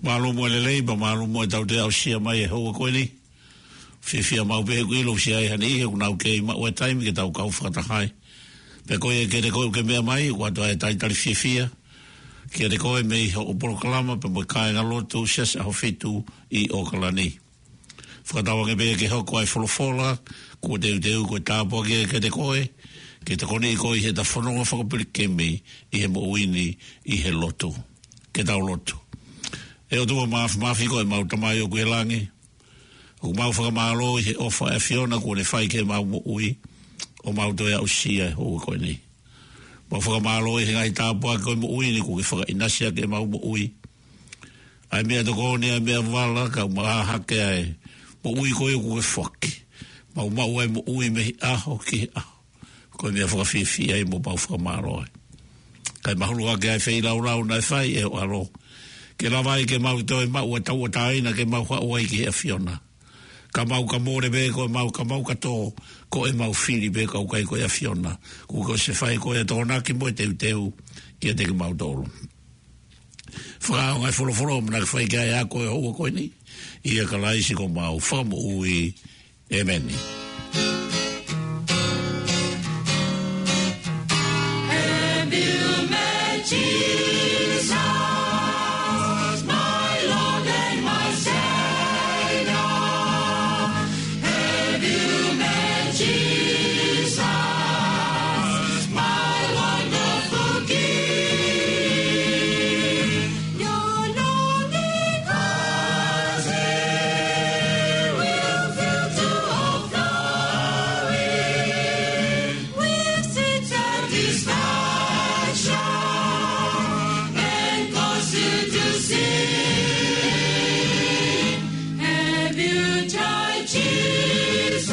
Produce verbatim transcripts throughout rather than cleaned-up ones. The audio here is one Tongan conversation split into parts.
Mālō mo e lelei, pea mālō mo e tau toe aʻusia mai e houa ko eni. Fiefia maʻu pē he ʻoku ʻilo ʻoku ʻi ai ha niʻihi ʻoku nau kei maʻu e taimi ke tau kau fakataha ai. Pea ko ia kiate koe ʻoku ke meʻa mai, ʻoatu ʻa e talitali fiefia kiate koe mei hoʻo polokalama pea mo e kāingalotu Siasi ʻAhofitu ʻi ʻOkalani. Fakatauange pē ke hoko ʻa e folofola kuo teuteu ko e tāpuaki ia kiate koe, ke tokoniʻi koe ʻi heʻeta fononga fakapilikimi ʻi he moʻui ni ʻi he lotu. Ke tau lotu. ʻE ʻOtua Māfimafi, ko ʻemau Tamai ʻoku ʻi he langi, ʻoku mau fakamālō ʻi he ʻofa ʻa e ʻAfiona kuo ne fai ki heʻemau moʻui, ʻo mau toe aʻusia e houa ko eni. Mau fakamālō ʻi he ngaahi tāpuaki ko e moʻui ni kuo ke fakaʻinasi ʻaki ʻemau moʻui. ʻA e meʻatokoni, ʻa e meʻavala, kae ʻumaʻā hake ʻa e moʻui ko ia kuo ke foaki. Mau maʻu ʻa e moʻui mei he ʻaho ki he ʻaho. Ko e meʻa fakafiefia ia ʻoku mau fakamālō ai. Kae mahulu hake ʻa e feilaulau naʻe fai ʻe ho ʻAlo, ke lava ai ke mau toe maʻu ʻa e tauʻatāina ke mau haʻu ai ki he ʻAfiona. Ka mau ka mole pē ko ʻemau, ka mau ka tō, ko ʻemau fili pē ka ʻoku ʻikai ko e ʻAfiona. Kuo ke ʻosi fai ko e tokonaki mo e teuteu kiate kimautolu. Fakaʻaonga e folofola ʻoku mau fai ki ai ʻa e ako e houa ko eni. ʻIa Kalaisi ko homau Fakamoʻui. ʻĒmeni. Have you met Jesus, my Lord and my Savior? Have you met Jesus, my wonderful King? Your longing heart will fill to overflowing with sweet satisfaction and cause you to sing. Have you tried Jesus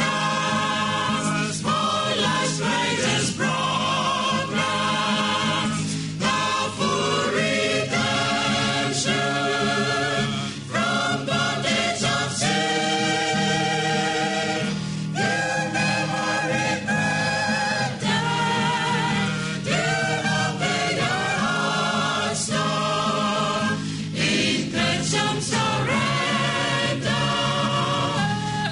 for life's greatest program? Love for redemption from bondage of sin. You never regret that. You open your hearts, Lord, in grateful surrender,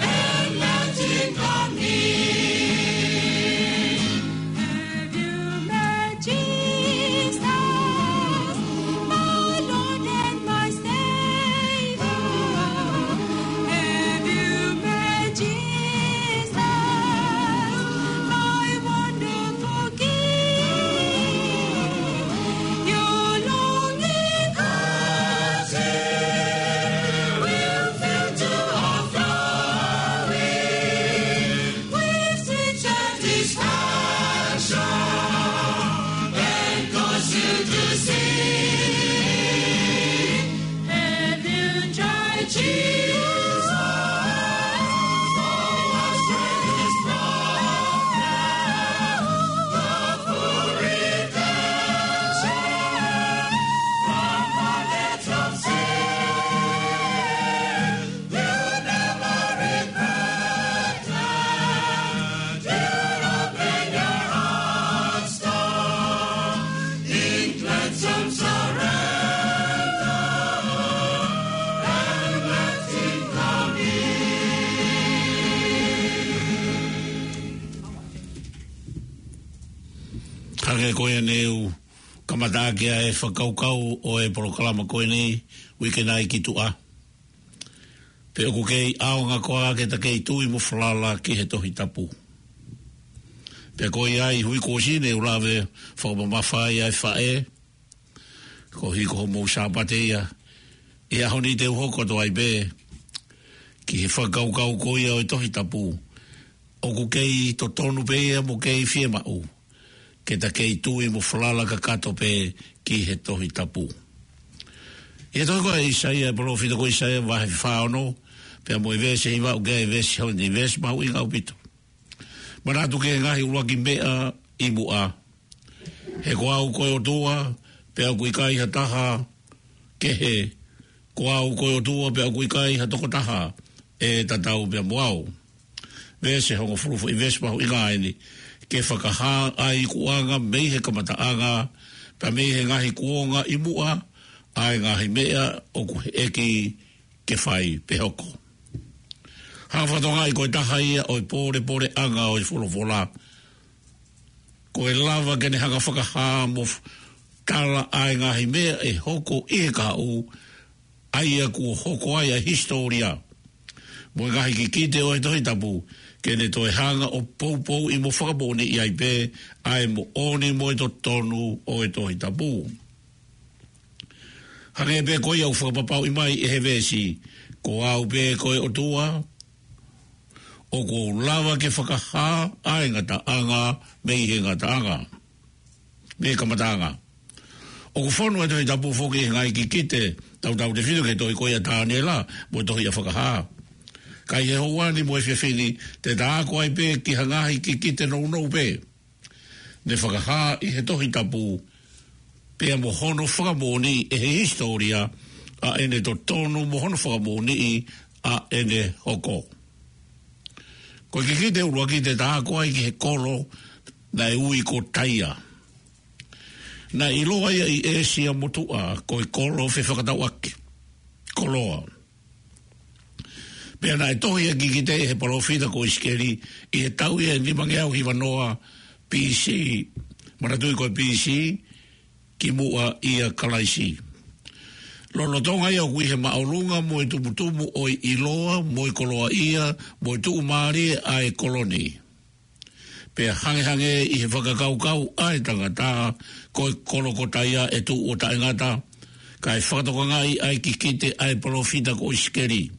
and let him come in. Have you met Jesus, my Lord and my Savior? Have you met Jesus, my wonderful King? Your longing heart will fill to overflowing with sweet satisfaction and cause you to sing. Have you tried Jesus? Love for redemption from bondage of sin. You never regret that. You open your hearts, Lord, in gladsome surrender, and let him come in. Hangē ko ia naʻa ku kamata ʻaki ʻa e fakakaukau ʻo e polokalama ko eni, uike nai ki tuʻa. Pe ʻoku kei ʻaonga koā ke ta kei tui mo falala ki he Tohi Tapu. Pea ko ia ʻi he uike kuo ʻosi ne u lave fakamamafa ai ʻa e faʻē, koeʻuhi ko hoʻomou Sāpate ia. ʻI he ʻaho ni te u hoko atu ai pē ki he fakakaukau ko ia ʻo e Tohi Tapu. ʻOku kei totonu pē ia mo kei fiemaʻu ke ta kei tui mo falala kakato pē ki he Tohi Tapu. ʻI he tohi ko ē ʻa ʻĪsaia, ʻa e palōfita ko ʻĪsaia, vahe fā ono, pea mo e veesi hiva ʻoku ʻi ai e veesi hongofulu, veesi mahuʻinga ʻaupito. Manatu ki he ngaahi ʻuluaki meʻa ʻi muʻa. He ko au ko e ʻOtua, pea ʻoku ʻikai ha taha kehe. Ko au ko e ʻOtua, pea ʻoku ʻikai ha tokotaha ʻe tatau pea mo au. Veesi hongofulu, foʻi veesi mahuʻinga eni. Ke fakahā ʻa e ikuʻanga mei he kamataʻanga, pea mei he ngaahi kuonga ʻi muʻa, ʻa e ngaahi meʻa ʻoku heʻeki ke fai pe hoko. Hanga fakatokangaʻi ko e taha ia ʻo e pōlepoleʻanga ʻo e folofola. Ko e lava ke ne hanga fakahā mo f-, tala ʻa e ngaahi meʻa ʻe hoko ʻi he kahaʻu, ʻa ia kuo hoko ai ʻa e hisitōlia mo e ngaahi kikite ʻo e Tohi Tapu, ke ne toe hanga ʻo poupouʻi mo fakamoʻoniʻi ai pē ʻa e moʻoni mo e totonu ʻo e Tohi Tapu. Hangē pē ko ia ʻoku fakapapauʻi mai ʻe he veesi, ko au pē ko e ʻOtua, ʻoku ou lava ke fakahā ʻa e ngataʻanga mei he ngataʻanga, mei he kamataʻanga. ʻOku fonu e Tohi Tapu foki he ngaahi kikite tautautefito ki he tohi ko ia ʻa Taniela mo e tohi ʻa Fakahā. Ka ʻi he houa ni mo e efiafi ni, te ta ako ai pē ki ha ngaahi kikite nounou pē ne fakahā ʻi he Tohi Tapu, pea mo hono fakamoʻoniʻi ʻe he hisitōlia ʻa ʻene totonu mo hono fakamoʻoniʻi ʻa ʻene hoko. Ko e kikite ʻuluaki te ta ako ai ki he kolo naʻe ui ko Taia. Naʻe ʻiloa ia ʻi ʻĒsia Motuʻa ko e kolo fefakatauʻaki, koloa. Pea naʻe tohi ʻa e kikite ʻe he palōfita ko ʻIsikeli ʻi he taʻu ia ʻe nimangeau hiva noa B C, manatuʻi ko e B C, kimuʻa ʻia Kalaisi. Lolotonga ia ʻoku ʻi he māʻolunga mo e tumutumu ʻo e ʻiloa mo e koloaʻia mo e tuʻumālie ʻa e kolo ni. Pea hangehangē ʻi he fakakaukau ʻa e tangata, ko e kolo ko Taia ʻe tuʻu ʻo taʻengata, kae fakatokangaʻi ʻa e kikite ʻa e palōfita ko ʻIsikeli.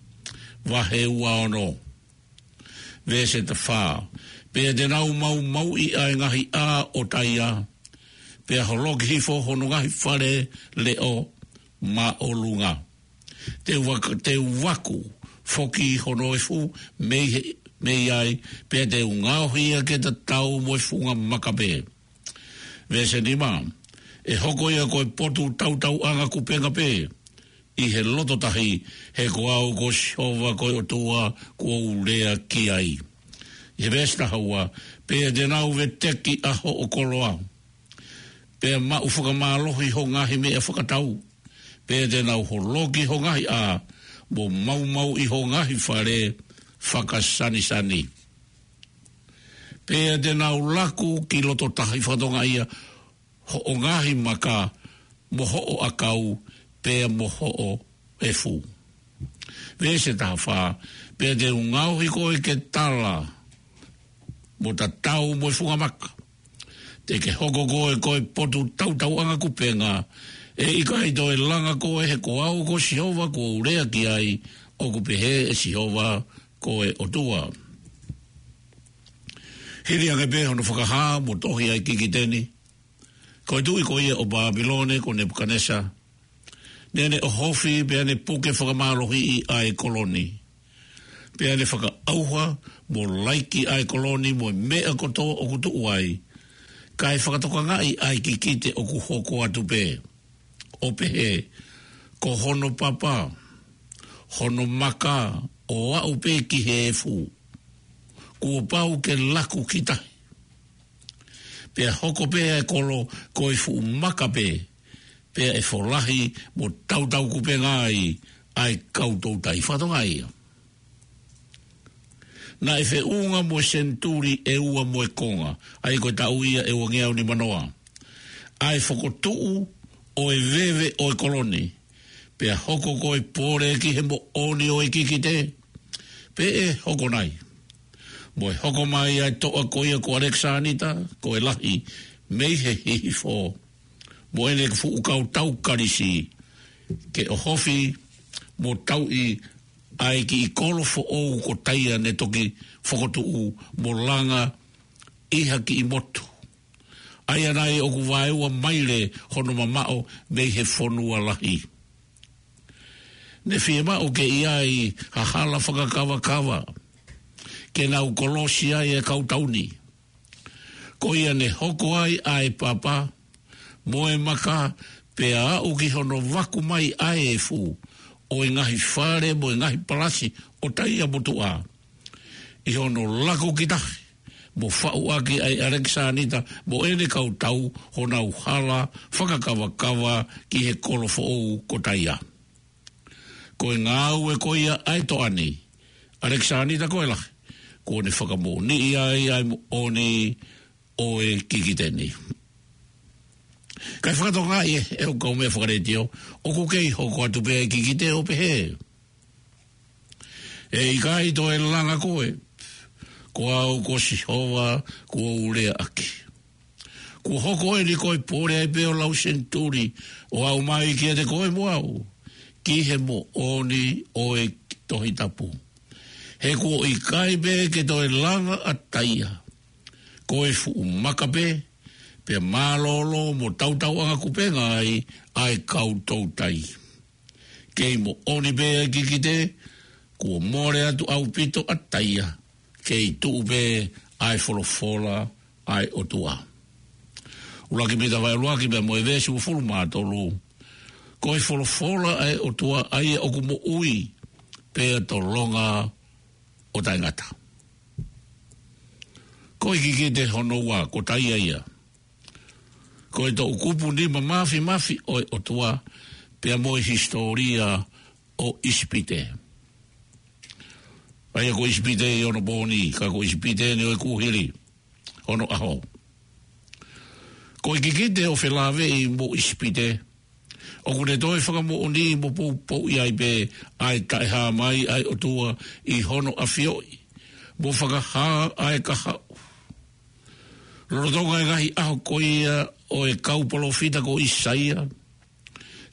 Vahe ua ono. Veesi taha fā. Pea te nau maumauʻi ʻa e ngaahi ʻā ʻo Taia, pea holoki hifo hono ngaahi fale leʻo māʻolunga. Te u vak-, te u vaku foki hono efu mei he, mei ai, pea te u ngaohi ia ke tatau mo e funga maka pē. Veesi nima, ʻe hoko ia ko e potu tautauʻanga kupenga pē ʻi he loto tahi, he ko au ko Sihova ko e ʻOtua kuo u lea ki ai. ʻI he veesi taha ua, pea te nau veteki ʻa hoʻo koloa, pea maʻu fakamālohi ho ngaahi meʻa fakatau, pea te nau holoki ho ngaahi ʻā, mo maumauʻi ho ngaahi fale fakasanisani. Pea te nau laku ki loto tahi fakatokangaʻi ia hoʻo ngaahi maka, mo hoʻo ʻakau, pea mo hoʻo efu. Veesi taha fā, pea te u ngaohi koe ke tala mo tatau mo e funga maka. Te ke hoko koe ko e potu tautauʻanga kupenga, ʻe ʻikai toe langa koe, he ko au ko Sihova kuo u lea ki ai, ʻoku pehē ʻe Sihova ko e ʻOtua. Hili ange pē hono fakahā mo tohi ʻa e kikite ni, ko e tuʻi ko ia ʻo Pāpilone ko Nepukanesa, naʻa ne ʻohofi pea ne puke fakamālohiʻi ʻa e kolo ni. Pea ne fakaʻauha mo laiki ʻa e kolo ni mo e meʻa kotoa ʻoku tuʻu ai, kae fakatokangaʻi ʻa e kikite ʻoku hoko atu pē, ʻo pehē, ko hono papa, hono maka, ʻo aʻu pē ki he efu, kuo pau ke laku ki tahi. Pea hoko pē ʻa e kolo ko e fuʻu maka pē, pea ʻe folahi mo tautau kupenga ai ʻa e kau toutai. Fakatokangaʻi ia. Naʻe feʻunga mo e senituli ʻe ua mo e konga, ʻa ia ko e taʻu ia ʻe uangeau nima noa, ʻa e fokotuʻu ʻo e veve ʻo e kolo ni, pea hoko ko e pole ki he moʻoni ʻo e kikite, pe ʻe hoko nai. Mo e hoko mai ʻa e toʻa ko ia ko ʻAlekisānita ko e Lahi mei he Hihifo, mo ʻene fuʻu kau tau kalisi, ke ʻohofi mo tauʻi ʻa e kiʻi kolo foʻou ko Taia ne toki fokotuʻu mo langa ʻi ha kiʻi motu, ʻa ia nai ʻoku vaeua maile hono mamaʻo mei he fonua lahi. Ne fiemaʻu ke ʻi ai ha hala fakakavakava ke nau kolosi ai e kau tau ni. Ko ia ne hoko ai ʻa e papa mo e maka, pea aʻu ki hono vaku mai ʻa e efu ʻo e ngaahi fale mo e ngaahi palasi ʻo Taia Motuʻa, ʻi hono laku ki tahi mo faʻu ʻaki ʻa ʻAlekisānita mo ʻene kau tau honau hala fakakavakava ki he kolo foʻou ko Taia. Ko e ngāue ko ia ʻa e toʻa ni, ʻAlekisānita ko e Lahi, kuo ne fakamoʻoniʻi ai ʻa e moʻoni ʻo e kikite ni. Kae fakatokangaʻi ē, ʻe hoku kaumeʻa fakaletiō, ʻoku kei hoko atu pē ʻa e kikite ʻo pehē: ʻE ʻikai toe langa koe, ko au ko Sihova kuo u lea ʻaki. Kuo hoko eni ko e pole ai pē ʻo lau senituli ʻo aʻu mai kiate koe mo au, ki he moʻoni ʻo e Tohi Tapu. He kuo ʻikai pē ke toe langa ʻa Taia, ko e fuʻu maka pē, pea mālōlō mo tautauʻanga kupenga ai ʻa e kau toutai. Kei moʻoni pē ʻa e kikite, kuo mole atu ʻaupito ʻa Taia, kei tuʻu pē ʻa e folofola ʻa e ʻOtua. ʻUluaki Pita vahe ʻuluaki pea mo e veesi uofulu mā tolu. Ko e folofola ʻa e ʻOtua ʻa ia ʻoku moʻui, pea tolonga ʻo taʻengata. Ko e kikite hono ua, ko Taia ia. Ko e toʻukupu nima mafimafi ʻo e ʻOtua, pea mo e hisitōlia ʻo ʻIsipite. ʻA ia ko ʻIsipite ʻi onopooni, ka ko ʻIsipite eni ʻo e kuohili ʻo onoʻaho. Ko e kikite ʻo felāveʻi mo ʻIsipite, ʻoku ne toe fakamoʻoni mo poupouʻi ai pē ʻa e taʻehāmai ʻa e ʻOtua ʻi hono ʻafioʻi mo fakahā ʻa e kahaʻu. Lolotonga e ngaahi ʻaho ko ia ʻo e kau palōfita ko ʻĪsaia,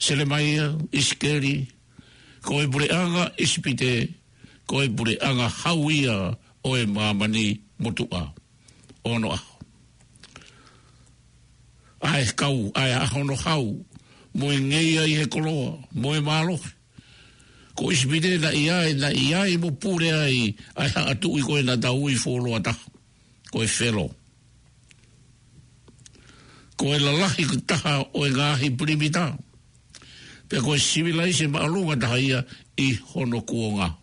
Selemaia, ʻIsikeli, ko e puleʻanga ʻIsipite, ko e puleʻanga hau ia ʻo e māmani motuʻa ʻo onoʻaho. ʻA e kau, ʻa e ʻaho hono hau, mo e ngeia ʻi he koloa mo e mālohi. Ko ʻIsipite naʻe ʻi ai, naʻe ʻi ai mo pule ai ʻa e haʻa tuʻi ko ē naʻa tau ui fuoloa taha, ko e Felo. Ko e lalahi taha ʻo e ngaahi pilimita, pea ko e sivilaise māʻolunga taha ia ʻi hono kuonga.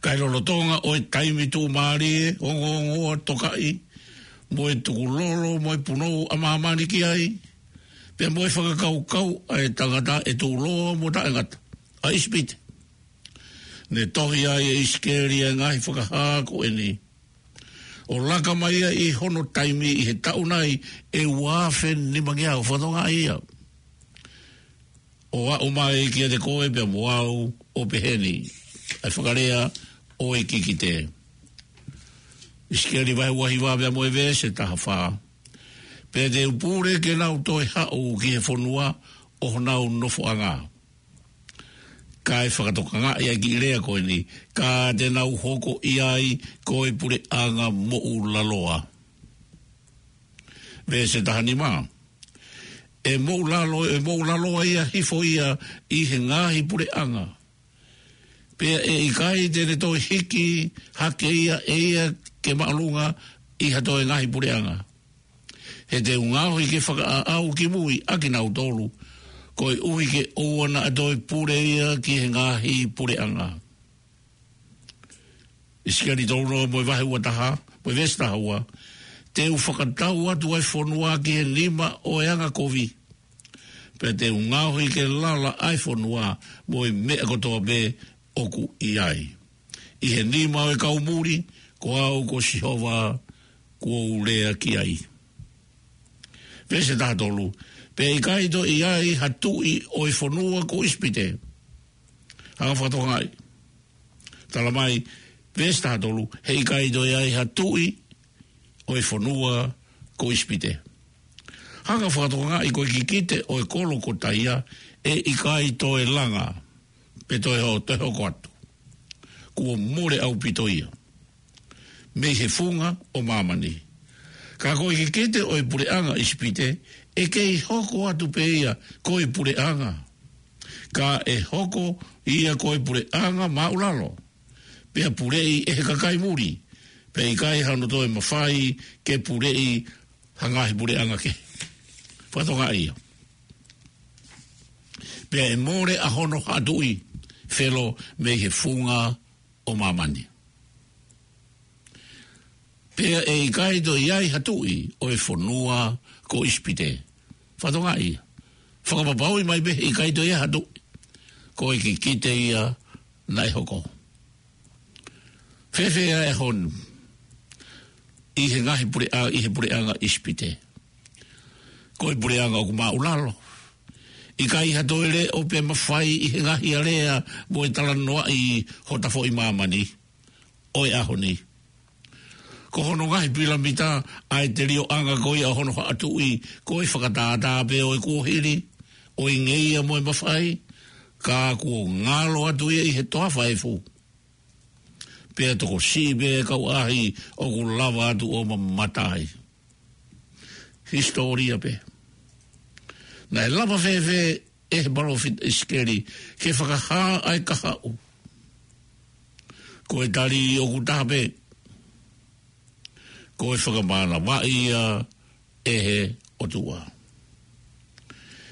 Kae lolotonga ʻo e taimi tuʻumālie, ongoongoa, tokaʻi, mo e tukulolo mo e punou ʻa māmani ki ai, pea mo e fakakaukau ʻa e tangata ʻe tuʻuloa mo taʻengata, ʻa ʻIsipite. Ne tohi ai ʻe ʻIsikeli ʻa e ngaahi fakahā ko eni, ʻo laka mai ia ʻi hono taimi ʻi he taʻu nai ʻe ua afe nimangeau, fakatokangaʻi ia, ʻo aʻu mai kiate koe pea mo au ʻo pehē ni. ʻA e fakalea ʻo e kikite. ʻIsikeli vahe ua hiva pea mo e veesi taha fā. Pea te u pule ke nau toe haʻu ki he fonua ʻo honau nofoʻanga. Kae fakatokangaʻi ʻa e kiʻi lea ko eni, ka te nau hoko ʻi ai ko e puleʻanga moʻulaloa. Veesi taha nima. ʻE moʻulalo, ʻe moʻulaloa ia hifo ia ʻi he ngaahi puleʻanga, pea ʻe ʻikai te ne toe hiki hake ia ʻe ia ke māʻolunga ʻi ha toe ngaahi puleʻanga. He te u ngaohi ke fakaʻaʻau ki mui ʻa kinautolu, koeʻuhi ke ʻoua naʻa toe pule ia ki he ngaahi puleʻanga. ʻIsikeli tolu noa mo e vahe ua taha, mo e veesi taha ua. Te u fakatau atu ʻa e fonua ki he nima ʻo e angakovi, pea te u ngaohi ke lala ʻa e fonua mo e meʻa kotoa pē ʻoku ʻi ai. ʻI he nima ʻo e kau muli, ko au ko Sihova kuo u lea ki ai. Veesi taha tolu. Pea ʻikai toe ʻi ai ha tuʻi ʻo e fonua ko ʻIsipite. Hanga fakatokangaʻi. Tala mai, veesi taha tolu, he ʻikai toe ʻi ai ha tuʻi ʻo e fonua ko ʻIsipite. Hanga fakatokangaʻi ko e kikite ʻo e kolo ko Taia, ʻe ʻikai toe langa, pe toe ho-, toe hoko atu. Kuo mole ʻaupito ia mei he funga ʻo māmani. Ka ko e kikite ʻo e puleʻanga ʻIsipite, ʻe kei hoko atu pē ia ko e puleʻanga. Ka ʻe hoko ia ko e puleʻanga māʻulalo, pea puleʻi ʻe he kakai muli, pea ʻikai hano toe mafai ke puleʻi ha ngaahi puleʻanga kehe. Fakatokangaʻi ia. Pea ʻe mole ʻa hono haʻa tuʻi, Felo, mei he funga ʻo māmani. Pea ʻe ʻikai toe ʻi ai ha tuʻi ʻo e fonua ko ʻIsipite. Fakatokangaʻi ia. Fakapapauʻi mai pē ʻe ʻikai toe ʻi ai ha tuʻi. Ko e kikite ia naʻe hoko. Fēfē ʻa e honu ʻi he ngaahi puleʻa-, ʻi he puleʻanga ʻIsipite? Ko e puleʻanga ʻoku māʻulalo. ʻIkai ha toe leʻo pe mafai ʻi he ngaahi alea mo e talanoaʻi hota foʻi māmani ʻo e ʻaho ni. Ko hono ngaahi pilamita ʻa e telioʻanga ko ia ʻo hono haʻa tuʻi, ko e fakatātā pē ʻo e kuohili, ʻo e ngeia mo e mafai, ka kuo ngalo atu ia ʻi he toafa efu. Pea tokosiʻi pē kau ʻaʻahi ʻoku lava atu ʻo mamata ai. Hisitōlia pē. Naʻe lava fēfē ʻe he palōfita ʻIsikeli ke fakahā ʻa e kahaʻu? Ko e tali ʻoku taha pē. Ko e fakamānavaʻi ia ʻe he ʻOtua.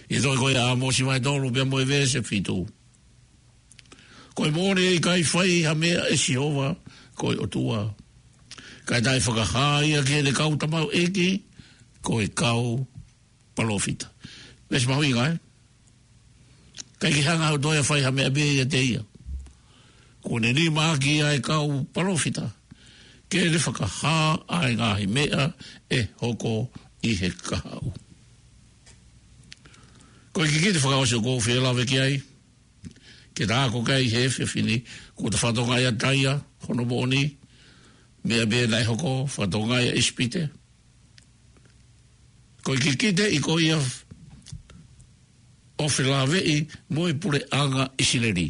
ʻI he tohi ko ia ʻa ʻĀmosi vahe tolu pea mo e veesi fitu. Ko e moʻoni ʻe ʻikai fai ha meʻa ʻe Sihova ko e ʻOtua, kae taʻe fakahā ia ki heʻene kau tamaioʻeiki, ko e kau palōfita. Veesi mahuʻinga, ē? ʻIkai ke hanga ʻe ha ʻOtua ia ʻo fai ha meʻa pē ʻiate ia. Kuo ne nimaʻaki ʻa e kau palōfita ke ne fakahā ʻa e ngaahi meʻa ʻe hoko ʻi he kahaʻu. Ko e kikite fakaʻosi ʻoku ou fie lave ki ai, ke ta ako ki ai he efiafi ni, kuo ta fakatokangaʻi ʻa Taia, hono moʻoni, meʻa pē naʻe hoko, fakatokangaʻi ʻa ʻIsipite. Ko e kikite ʻi ko ia ʻo felāveʻi mo e puleʻanga ʻIsileli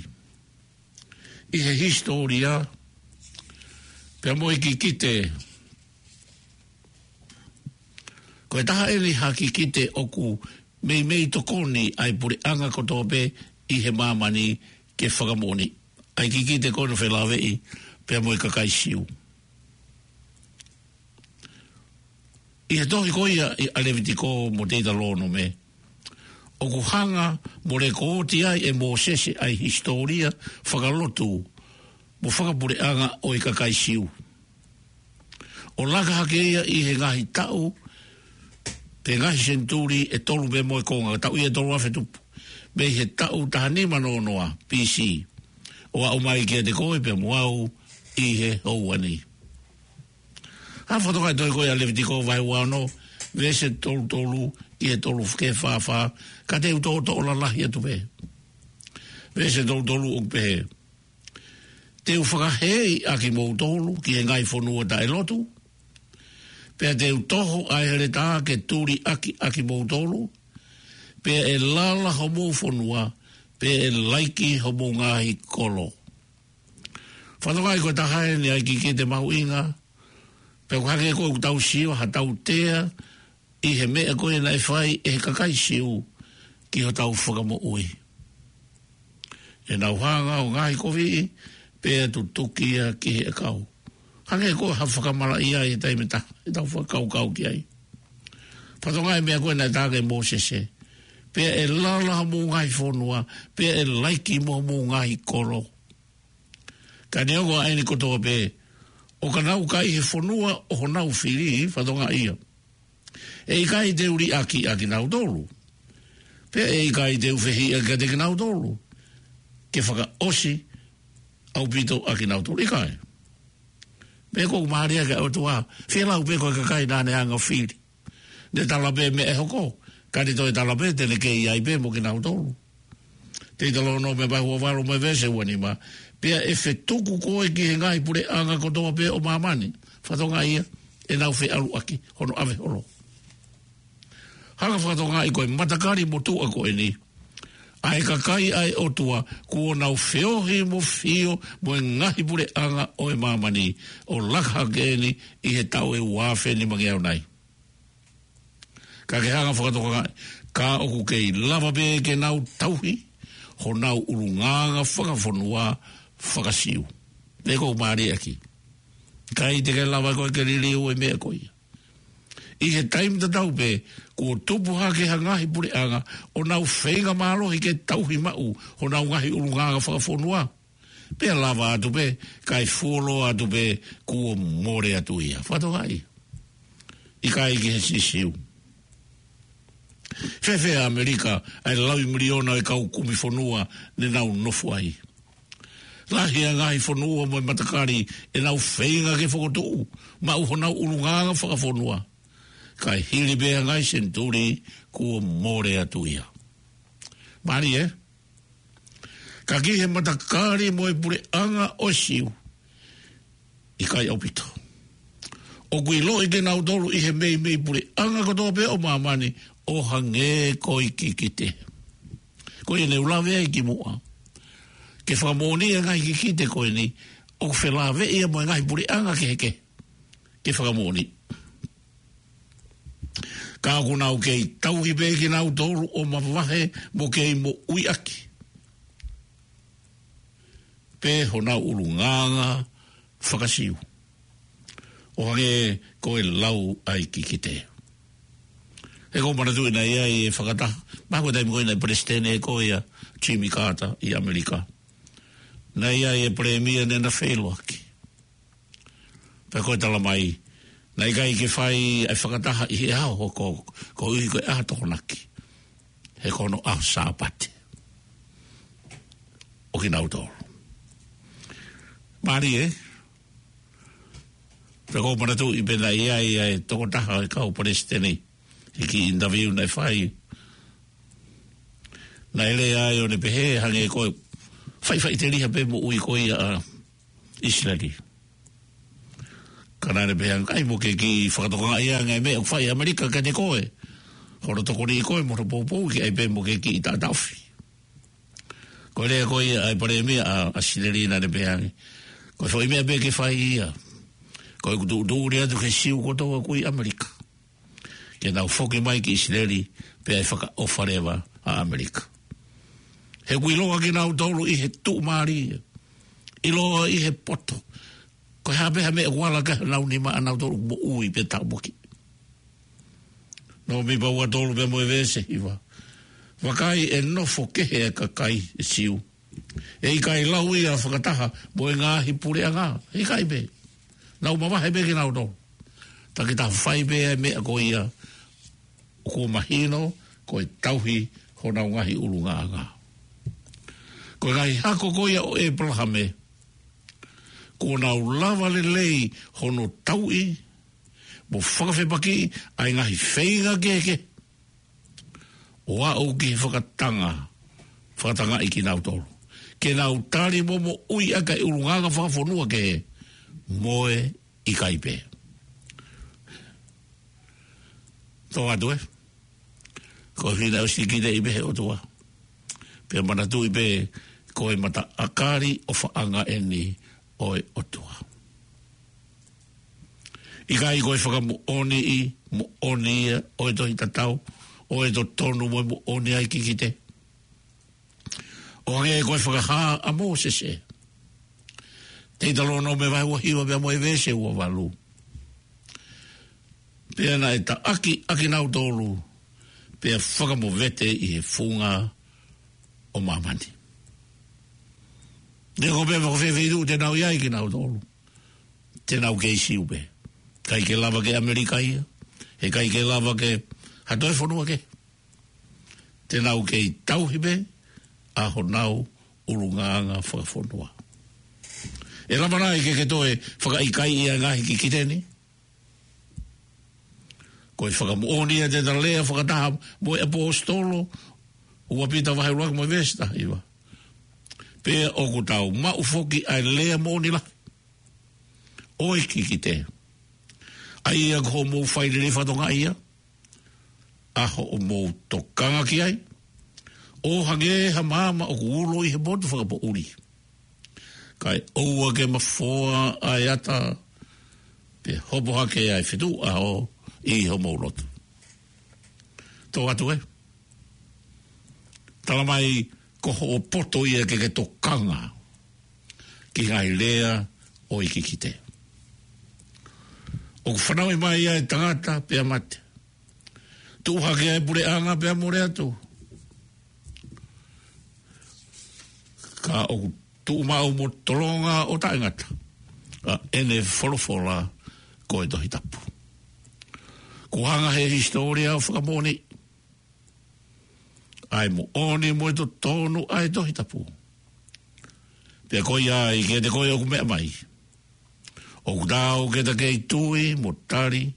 ʻi he hisitōlia, pea mo e kikite. Ko e taha eni ha kikite ʻoku meimei tokoni ai puleʻanga kotoa pē ʻi he māmani ke fakamoʻoni. ʻA e kikite ko eni ʻo felāveʻi pea mo e kakai Siu. ʻI he tohi ko ia ʻa Levitiko mo Teutalōnome, ʻoku hanga mo lekooti ai ʻe Mōsese ʻa e hisitōlia fakalotu mo fakapuleʻanga ʻo e kakai Siu, ʻo laka hake ia ʻi he ngaahi taʻu pe ngaahi senituli ʻe tolu pea mo e konga, taʻu ia ʻe tolu afe tupu, mei he taʻu taha nima noa noa B C, ʻo aʻu mai kiate koe pea mo au ʻi he houa ni. ʻA e fakatokangaʻi tohi ko ia ʻa Levitiko vahe ua ono, veesi tolu tolu ki he tolu ki he fā fā, ka te u toʻotoʻo lalahi atu pē. Veesi tolu tolu ʻoku pehē: Te u fakahēʻi ʻa kimoutolu ki he ngaahi fonua taʻelotu, pea te u toho ʻa e heletā ke tuliʻaki ʻa kimoutolu, pea ʻe lala homou fonua, pea ʻe laiki homou ngaahi kolo. Fakatokangaʻi ko e taha eni ʻa e kikite mahuʻinga, pea ʻoku hangē ko ʻetau sio ha tautea ʻi he meʻa ko ē naʻe fai ʻe he kakai Siu ki hotau Fakamoʻui. ʻE nau hanga ʻo ngaohikoviʻi, pea tutuki ia ki he ʻakau. Hangē ko ha fakamalaʻia ʻi he taimi ʻe taha, ʻetau fakakaukau ki ai. Fakatokangaʻi e meʻa ko ē naʻe tala ʻe Mōsese: Pea ʻe lala homou ngaahi fonua, pea ʻe laiki mo homou ngaahi kolo. Ka neongo ʻa eni kotoa pē, ʻo ka nau ka ʻi he fonua ʻo honau fili, fakatokangaʻi ia, ʻe ʻikai te u liʻaki ʻa kinautolu, pea ʻe ʻikai te u fehiʻa kiate kinautolu ke fakaʻosi ʻaupito ʻa kinautolu. ʻIkai. Meʻa ʻoku mālie ki he ʻOtua, fielau pē ko e kakai naʻa ne hanga ʻo fili. Ne tala pē meʻa ʻe hoko, ka ne toe tala pē te ne kei ʻi ai pē mo kinautolu. Teutalōnome vahe ua valu mo e veesi ua nima: Pea ʻe fetuku koe ki he ngaahi puleʻanga kotoa pē ʻo māmani. Fakatokangaʻi ia, ʻe nau feʻaluʻaki hono ʻave holo. Hanga ʻo fakatokangaʻi ko e matakali motuʻa ko eni ʻa e kakai ʻa e ʻOtua kuo nau feohi mo fio mo e ngaahi puleʻanga ʻo e māmani, ʻo laka hake eni ʻi he taʻu ʻe ua afe nimangeau nai. Ka ke hanga ʻo fakatokangaʻi, ka ʻoku kei lava pē ke nau tauhi honau ʻulungaanga fakafonua faka-Siu. Meʻa ʻoku mālie ʻaki. ʻIkai te ke lava koe ke liliu e meʻa ko ia. ʻI he taimi tatau pē, kuo tupu hake ha ngaahi puleʻanga ʻo nau feinga mālohi ke tauhi maʻu honau ngaahi ʻulungaanga fakafonua. Pea lava atu pē, kae fuoloa atu pē, kuo mole atu ia. Fakatokangaʻi. ʻIkai ke he siʻi Siu. Fēfē ʻa ʻAmelika, ʻa e laui miliona ʻo e kau kumi fonua ne nau nofo ai. Lahi ʻa e ngaahi fonua mo e matakali ʻenau feinga ke fokotuʻu, maʻu honau ʻulungaanga fakafonua. Kae hili pē ʻa e ngaahi senituli kuo mole atu ia. Mālie, ē? Ka ki he matakali mo e puleʻanga ʻo e Siu, ʻikai ʻaupito. ʻOku ʻiloʻi kinautolu ʻi he meimei puleʻanga kotoa pē ʻo māmani ʻo hangē ko e kikite. Ko ia ne u lave ai kimuʻa. Ke fakamoʻoni e ngaahi kikite ko eni, ʻoku felāveʻi ia mo e ngaahi puleʻanga kehekehe. Ke fakamoʻoni. Ka ʻoku nau kei tauhi pē kinautolu ʻo mavahe mo kei moʻui ʻaki pē honau ʻulungaanga faka-Siu. ʻO hangē ko e lau ʻa e kikite. He ʻoku ou manatuʻi naʻe ʻi ai e fakataha, mahalo ko e taimi ko ē naʻe palesiteni ko ia Jimmy Carter ʻi ʻAmelika. Naʻe ʻi ai e palēmia ne na feiloaki. Pea ko e talamai, naʻe ʻikai ke fai ʻa e fakataha ʻi he ʻaho ko, koeʻuhi ko e ʻaho Tokonaki. He ko hono ʻaho Sāpate ʻo kinautolu. Mālie, ē? Pea ʻoku ou manatuʻi pē naʻe ʻi ai ʻa e tokotaha ʻo e kau palesiteni, ʻi he kiʻi interview naʻe fai. Naʻe lea ai ʻo ne pehē hangē ko e faʻifaʻiteliha pē moʻui ko ia ʻa ʻIsileli. Ka naʻa ne pehē ange, ʻai mo ke kiʻi fakatokangaʻi ange e meʻa ʻoku fai ʻe ʻAmelika kiate koe. Hono tokoniʻi koe mo hono poupou ke ʻai pē mo ke kiʻi taʻataʻofi. Ko e lea ko ia ʻa e palēmia ʻa, ʻa ʻIsileli naʻa ne pehē ange, ko e foʻi meʻa pē ke fai ia. Ko ʻeku tuʻutuʻuni atu ki he Siu kotoa ʻoku ʻi ʻAmelika, ke nau foki mai ki ʻIsileli, pea ʻe fakaʻofa leva ʻa ʻAmelika. He ʻoku ʻiloa kinautolu ʻi he tuʻumālie, ʻiloa ʻi he poto. Ko e hā pē ha meʻa ʻoku ala ki honau nima, ʻa nautolu moʻui pē tāpuaki. Nōmipa ua tolu pea mo e veesi hiva. Vakai, ʻe nofo kehe ʻa e kakai ʻe Siu. ʻE ʻikai lau ia fakataha mo e ngaahi puleʻanga. ʻIkai pē. Nau mavahe pē kinautolu. Takitaha fai pē ʻa e meʻa ko ia ʻoku mahino ko e tauhi honau ngaahi ʻulungaanga. Ko e ngaahi hako ko ia ʻo ʻĒpalahame, kuo nau lava lelei hono tauʻi mo fakafepakiʻi ʻa e ngaahi feinga kehekehe ʻo aʻu ki he fakatanga, fakatangaʻi kinautolu ke nau tali mo moʻui ʻaki ʻa e ʻulungaanga fakafonua kehe mo e ʻikai pē. Tō atu, ē? Ko e fina ʻosi kite ʻi pē he ʻOtua. Pea manatuʻi pē ko e mataʻakali ʻofaʻanga eni ʻo e ʻOtua. ʻIkai ko e fakamoʻoniʻi moʻoni ia ʻo e tohi tatau, ʻo e totonu mo e moʻoni ʻa e kikite. ʻO hangē ko e fakahā ʻa Mōsese. Teutalōnome vahe ua hiva pea mo e veesi ua valu. Pea naʻe taʻaki ʻa kinautolu, pea fakamovete ʻi he funga ʻo māmani. Neongo pē pe ko fē feituʻu te nau ʻi ai kinautolu, te nau kei Siu pē. ʻIkai ke lava ke ʻAmelika ia, he ʻikai ke lava ke ha toe fonua kehe. Te nau kei tauhi pē ʻa honau ʻulungaanga fakafonua. ʻE lava nai ke ke toe fakaʻikaiʻi ʻa e ngaahi kikite ni? Ko e fakamoʻoni ia te ta lea fakataha mo e ʻaposetolo, ua Pita vahe ʻuluaki mo e veesi taha hiva. Pea ʻoku tau maʻu foki ʻa e lea moʻoni lahi ʻo e kikite. ʻA ia ko hoʻomou fai lelei fatongia ia, ʻa hoʻomou tokanga ki ai, ʻo hangē ha maama ʻoku ulo ʻi he motu fakapoʻuli. Kae ʻoua ke mafoa ʻa e ata, pea hopo hake ʻa e fetuʻu ʻaho ʻi homou loto. Tō atu, ē? Talamai ko hoʻo poto ia ke ke tokanga ki he ngaahi lea ʻo e kikite. ʻOku fanauʻi mai ʻa e tangata pea mate. Tuʻu hake ʻa e puleʻanga pea mole atu. Ka ʻoku tuʻumaʻu mo tolonga ʻo taʻengata ʻa ʻene folofola ko e Tohi Tapu. Kuo hanga he hisitōlia ʻo fakamoʻoni ʻa e moʻoni mo e totonu ʻa e Tohi Tapu. Pea ko ia ai kiate koe ʻoku meʻa mai, ʻoku taau ke ta kei tui mo tali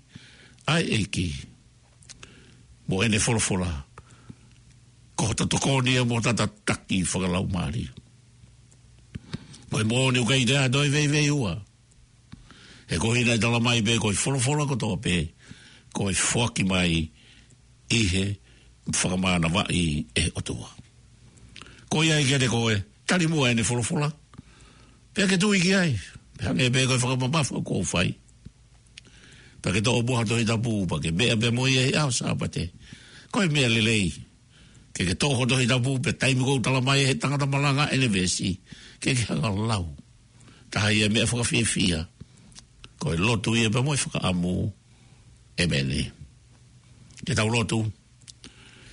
ʻa e ʻEiki mo ʻene folofola, ko hoto tokoni ia mo hota tataki fakalaumālie. Ko e moʻoni ʻoku ʻikai toe ʻi ai ha toe veiveiua, he ko hono talamai pē ko e folofola kotoa pē ko e foaki mai ʻi he fakamānavaʻi ʻe he ʻOtua. Ko ia ai kiate koe, tali muʻa ʻene folofola, pea ke tui ki ai, pea hangē pē ko e fakamamafa ʻoku ou fai. Pea ke toʻo muʻa ha Tohi Tapu, pea ke meʻa pē mo ia he ʻaho Sāpate. Ko e meʻa lelei ke ke toʻo ho Tohi Tapu, pea taimi ʻoku talamai ʻe he tangata malanga ʻene veesi, ke ke hanga ʻo lau. Taha ia e meʻa fakafiefia. Ko e lotu ia pea mo e fakaʻamu. ʻĒmeni. Ke tau lotu.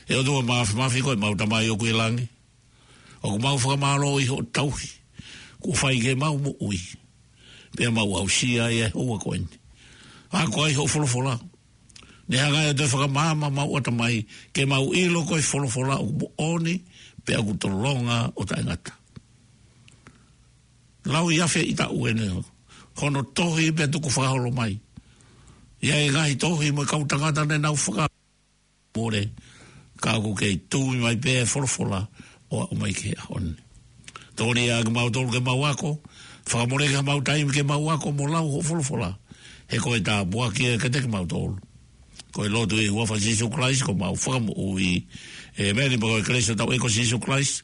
ʻE ʻOtua Māfimafi, ko ʻemau Tamai ʻoku ʻi langi, ʻoku mau fakamālō ʻi hoʻo tauhi kuo fai ki heʻemau moʻui, pea mau aʻusia ai e houa ko eni. Ako ai hoʻo folofola, ne hanga ʻe ia ʻo toe fakamaama homau ʻatamai ke mau ʻilo ko e folofola ʻoku moʻoni pea ʻoku tolonga ʻo taʻengata. Lau ʻi he afe ʻi taʻu eni hono tohi pea tuku fakaholo mai. ʻI ai e ngaahi tohi mo e kau tangata ne nau fakamole, ka ʻoku kei tui mai pē e folofola ʻo aʻu mai ki he ʻaho ni. Tokoniʻi ʻa kimautolu ke mau ako, fakamoleki haʻamau taimi ke mau ako mo lau hoʻo folofola, he ko e tāpuaki ia kiate kimautolu. Ko e lotu ʻi he huafa ʻo Sīsū Kalaisi ko homau Fakamoʻui. ʻĒmeni. Pea ko e kelesi ʻa hotau ʻEiki ko Sīsū Kalaisi,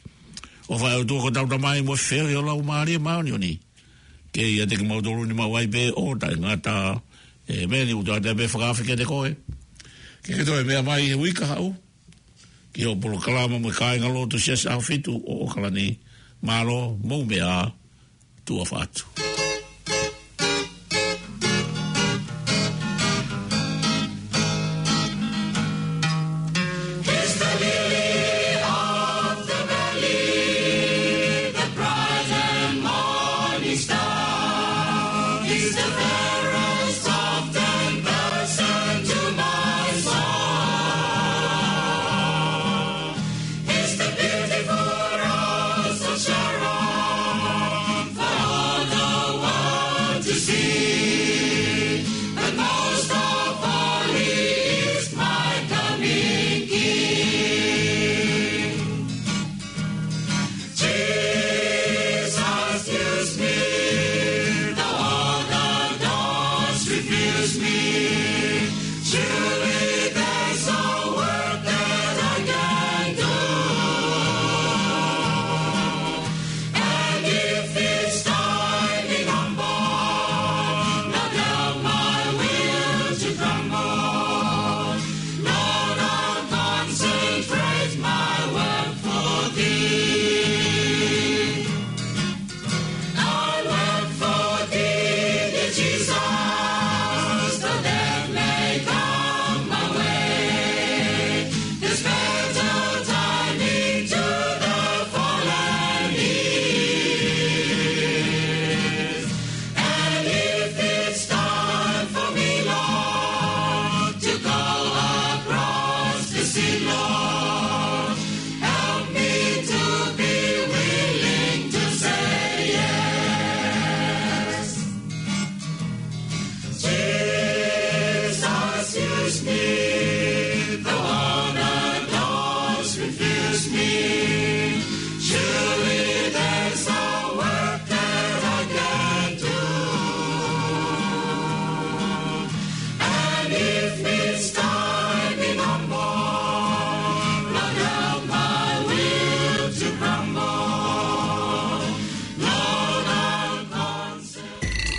ʻofa ʻa e ʻOtua ko hotau Tamai, mo e feohi ʻo e Laumālie Māʻoniʻoni, ke ʻiate kimautolu ni maʻu ai pē ʻo taʻengata. ʻĒmeni. ʻOku ou ʻoatu pē e fakaafe kiate koe ke ke toe meʻa mai he uike kahaʻu ki hoʻo polokalama mo e kāingalotu Siasi ʻAhofitu ʻo ʻAokalani. Mālō, mou meʻa ā, tuʻa ʻofa atu. He's the lily of the valley, the bright and morning star. He's the very